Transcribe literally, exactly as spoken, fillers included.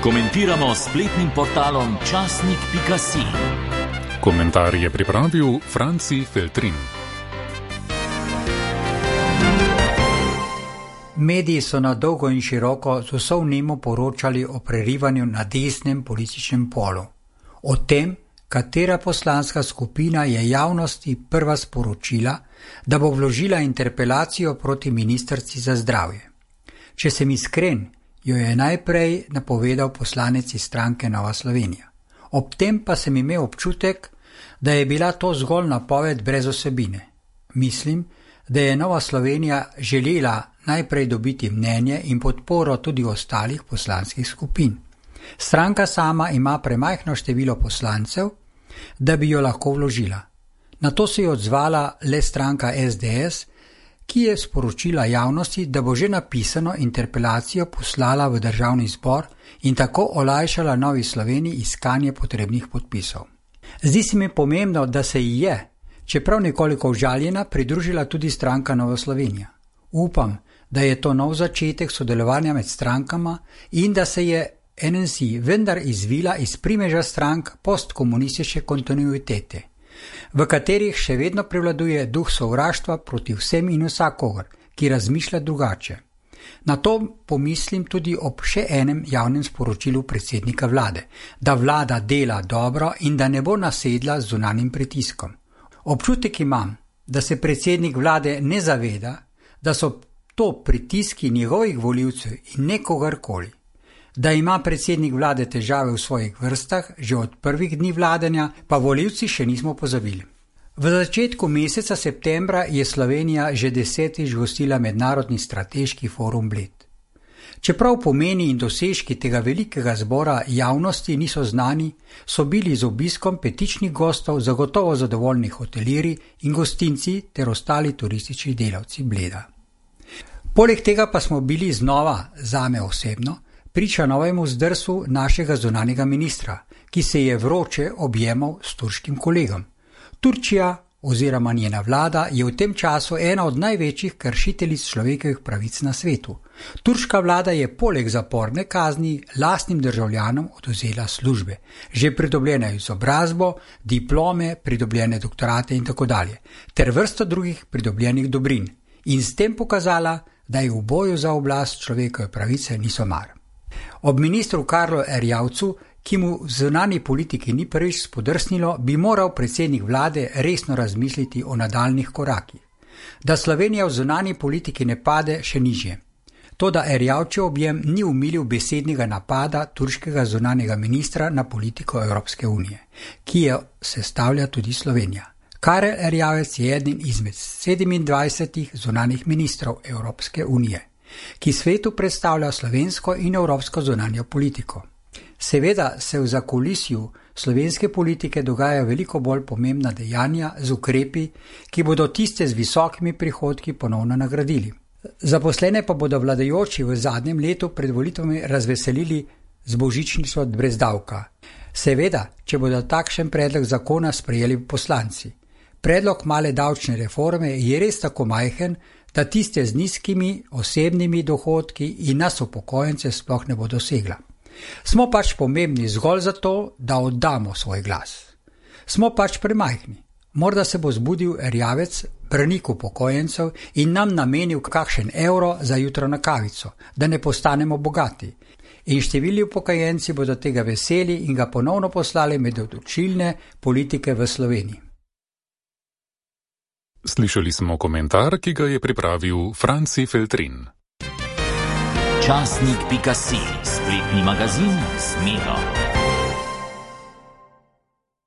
Komentiramo s spletnim portalom časnik pika si. Komentar je pripravil Franci Feltrin. Mediji so na dolgo in široko z vso vnemo poročali o prerivanju na desnem političnem polu. O tem, katera poslanska skupina je javnosti prva sporočila, da bo vložila interpelacijo proti ministrici za zdravje. Če sem iskren, jo je najprej napovedal poslanec iz stranke Nova Slovenija. Ob tem pa sem imel občutek, da je bila to zgolj napoved brez osebine. Mislim, da je Nova Slovenija želela najprej dobiti mnenje in podporo tudi ostalih poslanskih skupin. Stranka sama ima premajhno število poslancev, da bi jo lahko vložila. Na to se je odzvala le stranka es de es, ki je sporočila javnosti, da bo že napisano interpelacijo poslala v državni zbor in tako olajšala Novi Sloveniji iskanje potrebnih podpisov. Zdi se mi pomembno, da se ji je, čeprav nekoliko užaljena, pridružila tudi stranka Nova Slovenija. Upam, da je to nov začetek sodelovanja med strankama in da se je en en si vendar izvila iz primeža strank postkomunistične kontinuitete, v katerih še vedno prevladuje duh sovraštva proti vsem in vsakogar, ki razmišlja drugače. Na to pomislim tudi ob še enem javnem sporočilu predsednika vlade, da vlada dela dobro in da ne bo nasedla z zunanjim pritiskom. Občutek imam, da se predsednik vlade ne zaveda, da so to pritiski njegovih volivcev in ne kogarkoli. Da ima predsednik vlade težave v svojih vrstah, že od prvih dni vladanja, pa volivci še nismo pozabili. V začetku meseca septembra je Slovenija že desetič gostila mednarodni strateški forum Bled. Čeprav pomeni in dosežki tega velikega zbora javnosti niso znani, so bili z obiskom petičnih gostov zagotovo zadovoljni hotelirji in gostinci ter ostali turistični delavci Bleda. Poleg tega pa smo bili znova, zame osebno, priča novemu zdrsu našega zunanjega ministra, ki se je vroče objemal s turškim kolegom. Turčija oziroma njena vlada je v tem času ena od največjih kršiteljic človekovih pravic na svetu. Turška vlada je poleg zaporne kazni lastnim državljanom odvzela službe, že pridobljene izobrazbo, diplome, pridobljene doktorate in tako dalje, ter vrsto drugih pridobljenih dobrin in s tem pokazala, da je v boju za oblast človekove pravice niso mar. Ob ministru Karlu Erjavcu, ki mu v zunanji politiki ni prvič spodrsnilo, bi moral predsednik vlade resno razmisliti o nadaljnih korakih. Da Slovenija v zunanji politiki ne pade še nižje. Toda Erjavčev objem ni umilil besednega napada turškega zunanjega ministra na politiko Evropske unije, ki jo sestavlja tudi Slovenija. Karel Erjavec je eden izmed sedemindvajsetih zunanjih ministrov Evropske unije, ki svetu predstavlja slovensko in evropsko zunanjo politiko. Seveda se v zakulisju slovenske politike dogaja veliko bolj pomembna dejanja z ukrepi, ki bodo tiste z visokimi prihodki ponovno nagradili. Zaposlene pa bodo vladajoči v zadnjem letu pred volitvami razveselili z božičnico brez davka. Seveda, če bodo takšen predlog zakona sprejeli poslanci. Predlog male davčne reforme je res tako majhen, da tiste z nizkimi osebnimi dohodki in nas upokojence sploh ne bo dosegla. Smo pač pomembni zgolj zato, da oddamo svoj glas. Smo pač premajhni. Morda se bo zbudil Erjavec, branik upokojencev, in nam namenil kakšen evro za jutro na kavico, da ne postanemo bogati. In številni upokojenci bodo tega veseli in ga ponovno poslali med odločilne politike v Sloveniji. Slišali smo komentar, ki ga je pripravil Franci Feltrin. časnik pika si, spletni magazin z Miro.